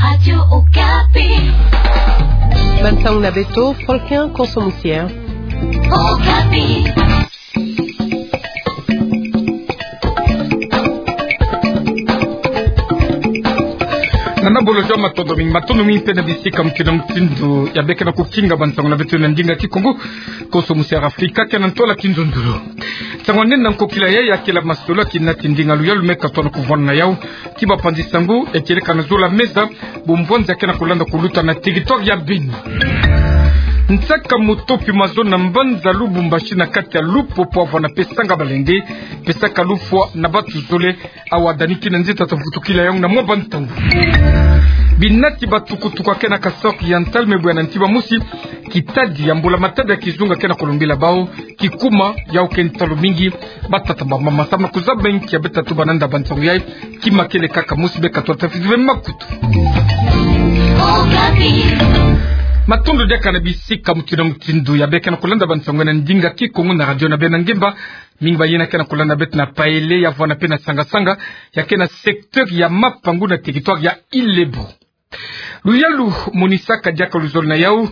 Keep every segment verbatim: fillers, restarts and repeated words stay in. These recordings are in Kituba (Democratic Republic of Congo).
Radio Okapi. Bansango na beto, Fulkin Konso Musier. Okapi. Nana Bolo Jean, matondo mingi, matondo mingi mpe na bisika mutindu na mutindu ya beka na kukinga bansango na beto na ndinga Kikongo. Konso Musier Afrika, kena ntwala kinzonzolo. Nsangu nene na nkokila yayi ya kela masolo ya kinati ndinga luyalu me katono kuvwanda na yau. Ki bapanzi sango, e kieleka na zola meza, bumvwanzi ya kena kulanda kuluta na territoire ya Beni. Nsaka mutopi mazono na mbanza Lubumbashi na kati ya Lupopo, Havana mpe Sanga-Balende, pesaka lufwa na batu zole, awa dani kina nzita ta vutukila yau na mwa bantangu. Binati batukutuku ya kena Kasaï Oriental me bwe na nti ba musi, kitadi ya mbula matadi ya kizunga kena kulembila bau, kikuma, yau ke ntalu mingi, batata bamama samu na kuzaba nki ya beta tuba nanda bansango yayi, ki makele kaka musi beka twa tafiti ve makutu. Matondo diaka na bisika mutindu na mutindu ya beka na kulanda bansango na ndinga Kikongo na radio na beno ngemba, mingi bayina kena kulanda beto na Paele, ya Havana mpe na Sanga-Sanga, ya kena secteur ya Mapangu na territoire ya Ilebo. Luyalu monisaka diaka luzolo na yau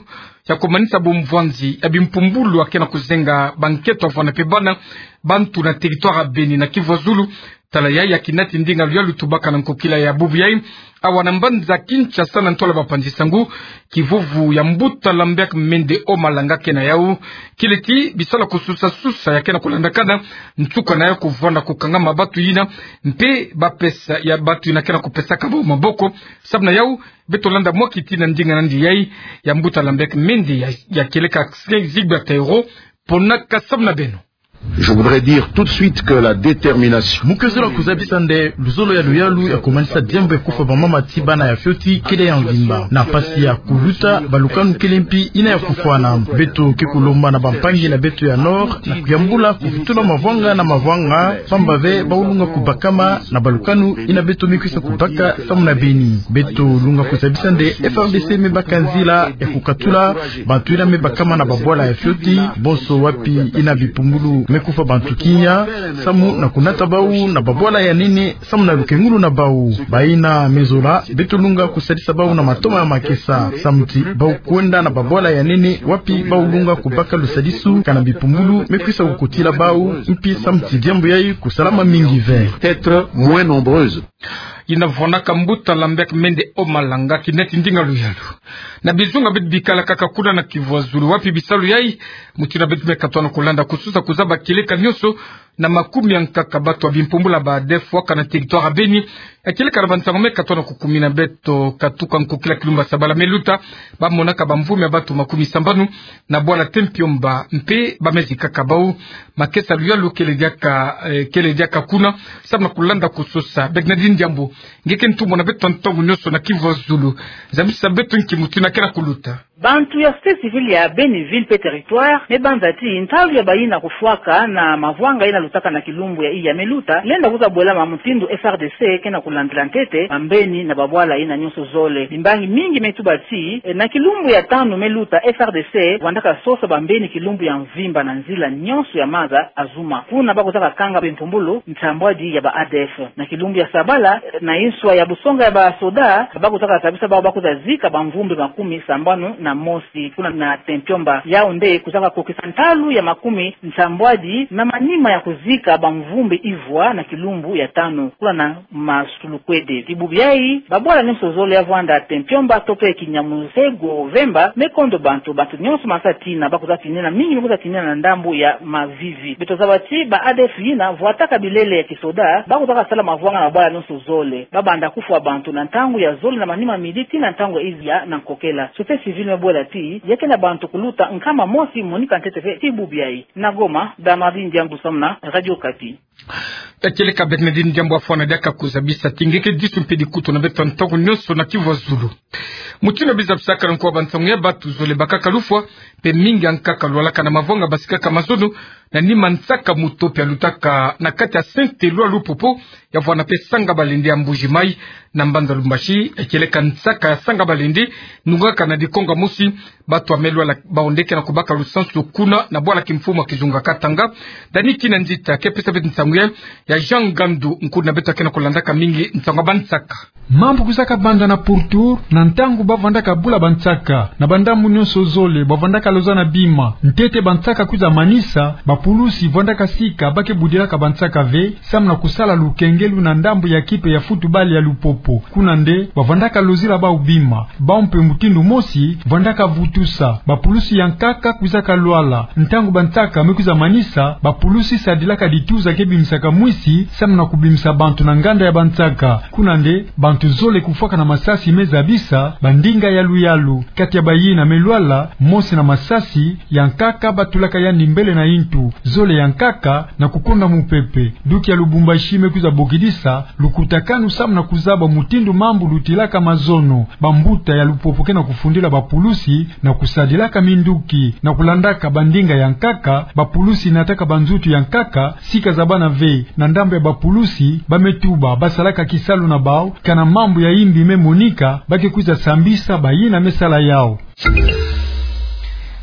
ya kumanisa bumvwanzi ya bimpumbulu ya kena kuzenga bankento ya Havana mpe bana bantu na territoire ya Beni na Kivu ya Zulu. Tala yayi ya kinati ndinga luyalu tubaka na nkokila ya bubu yayi, awa na mbanza Kinshasa, na ntwala bapanzi sango, kivuvu ya Mbuta Lambert Mende Omalanga kena yau. Kileti bisalu ya kususa-susa ya kena kulandakana, nsuka na yau kuvwanda kukangama batu yina, mpe bapesa ya batu yina kena kupesaka bau maboko. Samu na yau, beto landa mwa kiti na ndinga na yandi yayi, ya Mbuta Lambert Mende ya, ya kieleka Zigbert Ayoro, ponaka samu na beno. Je voudrais dire tout de suite que la détermination... Mu ke zola kuzabisa nde luzolo ya luyalu ya kumanisa diambu ya kufwa bamama ti bana ya fioti kele ya mvimba. Na mpasi ya kuluta, balukanu kele mpi yina ya kufwana. Beto ke kulomba na bampangi na beto ya Nord na kuyambula kuvutula mavwanga na mavwanga, pamba ve bawu lunga kubakama na balukanu yina beto me kwisa kubaka samu na Beni. Beto lunga kuzabisa nde F R D C me baka nzila ya kukatula bantu yina me bakama na babwala ya fioti bonso wapi yina bipumbulu me kufwa bantu kimia, samu na kunata bawu na babwala ya nene samu na lukengulu na bawu. Bayina me zola, beto lunga kusadisa bawu na matoma ya makesa, samu ti bawu kwenda na babwala ya nene wapi bawu lunga kubaka lusadisu, kana bipumbulu me kwisa kukotila bawu, mpi samu ti diambu yayi kusalama mingi ve. Être moins nombreuses. Yina vwanaka Mbuta Lambert Mende Omalanga, kinati ndinga luyalu. Na bizunga beto bikala kaka kuna na Kivu ya Zulu, wapi bisalu yayi, mutindu beto me katono kulanda kususa kuzaba kieleka nyonso na makumi ya nkaka batu ya bimpumbulu ya ba ADF waka na territoire ya Beni. Ya kieleka na bansango me katono kukumina beto, katuka nkokila kilumbu ya sabala me luta, bamonaka bamvumbi ya batu makumi sambanu na bwala Tempiomba, mpe bamezikaka bawu. Makesa luyalu kele diaka, eh, kele diaka kuna samu na kulanda kususa. Bernadine Diambu, nge ke ntumwa na beto ntangu nyonso na Kivu ya Zulu. Zabisa beto nki mutindu kena kuluta. Bantu ya société civile ya Beni ville mpe territoire me banza ti ntalu ya bayina kufwaka na mavwanga yina lutaka na kilumbu ya iya me luta, lenda kwiza bwelama mutindu F R D C kena kulandila ntete bambeni na babwala yina nyonso zole. Bimbangi mingi me tuba ti, eh, na kilumbu ya tanu me luta F R D C vwandaka sosa bambeni kilumbu ya mvimba na nzila nyonso ya maza Azuma. Kuna bakwizaka kanga bimpumbulu nsambwadi ya ba ADF. Na kilumbu ya sabala, na inswa ya busonga ya basoda, bakwizaka zabisa bawu bakwiza zika bamvumbi makumi sambanu na mosi kuna na Tempiomba. Yawu nde kwizaka kokisa ntalu ya makumi nsambwadi na manima ya kuzika bamvumbi ivwa na kilumbu ya tanu kuna na Masulukwede. Ti bubu yayi, babwala nyonso zole ya vwanda Tempiomba to mpe Kinyamusego Vemba me kondo bantu, bantu nyonso masa tina, bakwiza tinina, mingi me kwiza tinina na ndambu ya Mavivi. Beto zaba ti ba ADF yina vwataka bilele ya kisoda, bakwizaka sala mavwanga na babwala nyonso zole. Babanda kufwa bantu na ntangu ya zole na manima midi tii na ntangu ya iziya na nkokela. Société civile me bwela ti, ya ke na bantu kuluta nkama mosi monika ntete ve ti bubu yayi. Na Goma, Bernardine Diambu samu na Radio Okapi. Ekeleka Bernardine Diambu, afwana diaka kuzabisa ti nge ke disu mpe dikutu na beto ntangu nyonso na Kivu ya Zulu. Mutindu bizabisaka nkuwa bansangu ya bantu zole bakaka lufwa, mpe mingi ya nkaka lwalaka na mavwanga basikaka mazono, na ni mansaka moto pe alutaka na kati ya sente lwa Lupopo, ya vwanda pe Sanga-Balende ya Mbuji-Mayi. Na mbanza Lubumbashi, kieleka nsaka ya Sanga-Balende, nungaka na dikonga mosi, bato ya Maine-Loire bawu nde ke na kubaka lusansu kuna na bwala kimfumu ya kizunga Katanga. Dany Kinanzita ke pesa beto nsangu ya, ya Jean Ngandu, nkulu na beto ke na kulandaka mingi nsangu ya bansaka. Mambu kwizaka banda na pourtour na ntangu ba vwandaka bula bansaka. Na bandambu nyonso zole ba vwandaka loza na bima. Ntete bansaka kwiza manisa, bapulusi vwandaka sika ba ke budilaka bansaka ve, samu na kusala lukengelu na ndambu ya kipe ya futubale ya Lupopo. Kuna nde ba vwandaka lozila bawu bima. Bawu mpe mutindu mosi vwandaka vutusa. Bapulusi ya nkaka kwizaka lwala. Ntangu bansaka me kwiza manisa, bapulusi sadilaka dituza ke bimisaka mwisi, samu na kubimisa bantu na nganda ya bansaka. Kuna nde bantu zole kufwaka na masasi me zabisa bandinga yalu-yalu. Kati ya bayina me lwala, mosi na masasi, ya nkaka ba tulaka yandi mbele na yintu, zole ya nkaka na kukonda mupepe. Duki ya Lubumbashi me kwiza bokidisa lukutakanu samu na kuzaba mutindu mambu lutilaka mazono. Bambuta ya Lupopo ke na kufundila bapulusi na kusadilaka minduki. Na kulandaka bandinga ya nkaka, bapulusi nataka banzutu ya nkaka, sika zabana ve. Na ndambu ya bapulusi, ba me tuba ba salaka kisalu na bawu, kana mambu ya yimbi me monika, ba ke kwiza sambisa bayina me sala yawu.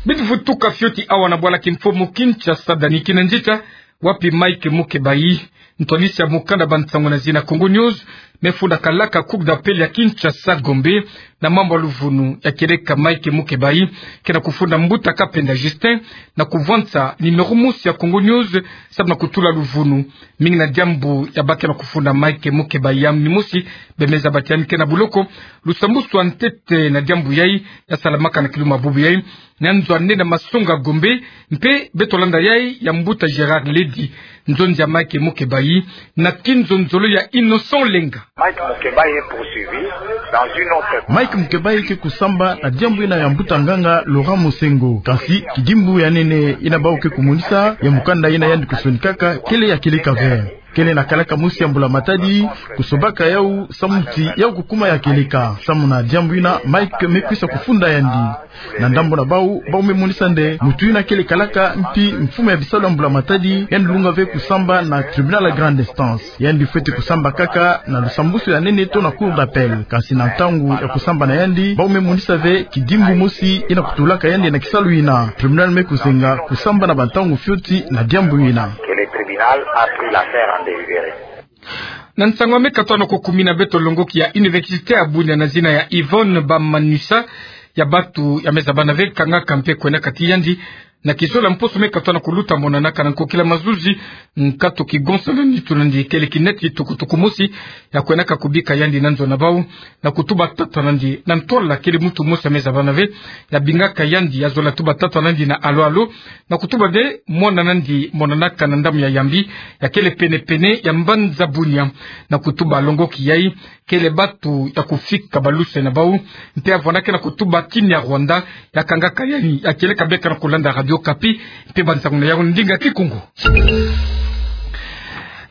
Beto vutuka fioti awa na bwala kimfumu Kinshasa, Dany Kinanzita, wapi Mike Mukebayi, ntwadisi ya mukanda bansangu na zina Congo News, me funda kalaka Cour d'appel ya Kinshasa Gombe, na mambu ya luvunu ya kieleka Mike Mukebayi, ke na kufunda mbuta Kapenda Justin, na kuvwansa numéro mosi ya Congo News, samu na kutula luvunu mingi na diambu ya ba ke na kufunda Mike Mukebayi ya mimosi, bemeza bati ya mike na buloko. Lusambusu ya ntete na diambu yayi, ya salamaka na kiluma bubu yayi, na nzo ya nene ya masonga Gombe, mpe beto landa yayi ya mbuta Gérard Ledi, nzonzi ya Mike Mukebayi, na kinzonzolo ya Innocent Lenga. Mike Mukebayi est poursuivi dans une autre. Mike Mukebayi ke kusamba na diambu yina ya mbuta nganga Laurent Monsengwo. Kansi kidimbu ya nene yina bawu ke kumonisa ya mukanda yina yandi kusonikaka kele ya kieleka ve. Kele na kalaka mosi ya mbula matadi, kusombaka yawu samu ti yawu kukuma ya kieleka. Samu na diambu yina Mike me kwisa kufunda yandi. Na ndambu na bawu, bawu me monisa nde muntu yina kele kalaka mpi mfumu ya bisalu ya mbula matadi, yandi lunga ve kusamba na tribunal ya grande instance. Yandi fwete kusamba kaka na lusambusu ya nene to na Cour d'appel. Kansi na ntangu ya kusamba na yandi, bawu me monisa ve kidimbu mosi yina kutulaka yandi na kisalu yina. Tribunal me kuzenga kusamba na bantangu fioti na diambu yina. Que le tribunal a pris l'affaire en délibéré. Na nsangu ya me katuka na kukumina, beto longoki ya Université ya Bunia na zina ya Yvonne Bamanisa, ya batu ya me zabana ve kangaka mpe kwenda kati yandi na kizolo ya mposo me katuka na kuluta, monanaka na nkokila mazuzi, nkatu kigonsa na nitu na yandi kele kinet tukutuku mosi ya kwendaka kubika yandi na nzo na bawu, na kutuba tata na yandi na ntwala kele muntu mosi ya me zabana ve, ya bingaka yandi, ya zola tuba tata na yandi na alo-alo, na kutuba nde mwana na yandi monanaka na ndambu ya Yambi, ya kele pene-pene ya mbanza Bunia, na kutuba longoki yayi kele batu ya kufika balusa na bawu, mpe ya vwandaka na kutuba Kinyarwanda, ya kangaka yayi, ya kieleka beka na kulanda Radio Okapi, mpe bansangu na yawu ndinga Kikongo.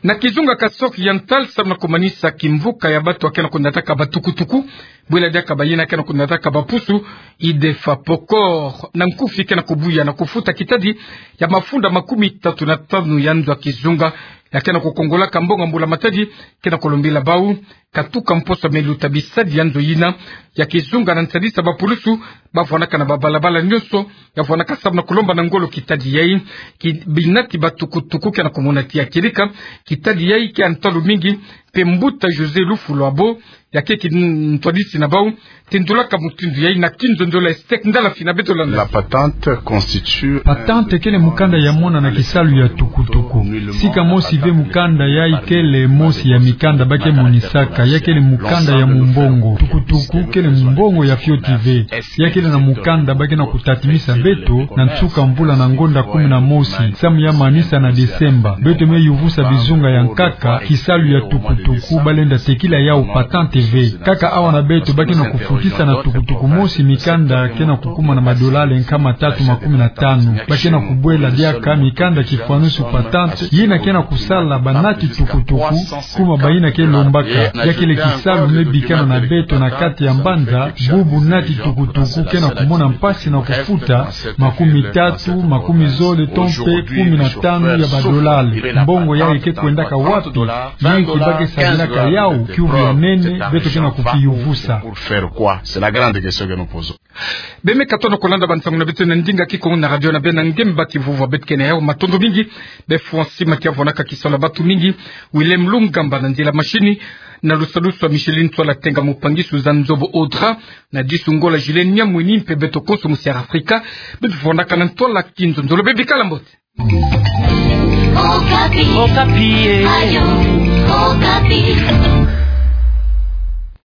Na kizunga Kasaï Oriental, samu na kumanisa kimvuka ya batu ya ke na kunataka batukutuku, bwela diaka bayina ke na kunataka bapusu, IDEFAPOCOR, na nkufi ke na kubuya na kufuta kitadi ya mafunda makumi tatu na tanu ya nzo ya kizunga, ya ke na kukongolaka mbongo ya mbula matadi, ke na kulombila bawu katuka mposo me luta bisadi ya nzo yina ya kizunga na nsadisa bapulusu ba vwandaka na babalabala nyonso, ya vwandaka samu na kulomba na ngolo kitadi yayi, ki binati batukutuku ke na kumona ti ya kieleka kitadi yayi ke ya ntalu mingi, mpe mbuta José Lufulwabo, ya ke kintwadisi na bawu, tendulaka mutindu yayi na kinzonzolo ya Estec Ndala Fina. Beto landa. La patente constitue. Patente kele mukanda ya mona na kisalu ya tukutuku. Sika mosi ve mukanda yayi kele mosi ya mikanda ba ke monisaka, ya kele mukanda ya mumbongo. Tukutuku kele mumbongo ya fioti ve. Ya kele na mukanda ba ke na kutatimisa beto na nsuka mvula na ngonda kumi na mosi, samu ya manisa na Desemba. Beto me yuvusa bizunga ya nkaka, kisalu ya tukutuku ba lenda tekila yawu patente. Kaka awa na beto ba ke na kufutisa na tukutuku mosi mikanda ke na kukuma na madolari nkama tatu makumi na tanu. Ba ke na kubwela diaka mikanda kifwanusu patente, yina ke na kusala banati tukutuku, kuma bayina ke lombaka. Ya kele kisalu me bikana na beto na kati ya mbanza, bubu nati tukutuku ke na kumona mpasi na kufuta makumi tatu, makumi zole to mpe kumi na tanu ya badolari. Mbongo yayi ke kwendaka wapi? Ni nki ba ke sadilaka yawu? Kiuvu ya nene beto ke na kukiyuvusa. Beno me katono kolanda bansangu na beto na ndinga Kikongo na radio na beno na ngemba kivuvu. Beto ke na yawu, matondo mingi. Be François Makia vwanaka kisalu ya bato mingi, Willem Lungamba na nzila mashini, na lusalusu ya Micheline Tswala Tenga, mopangi Suzanne Nzobo Audra, na disu Ngola Julien Nyamwini, mpe beto konso mu Sierra Africa, beto vwanaka na ntwala kinzonzolo. Be bikala mbote. Okapi. Okapi, eh. Ayo, Okapi.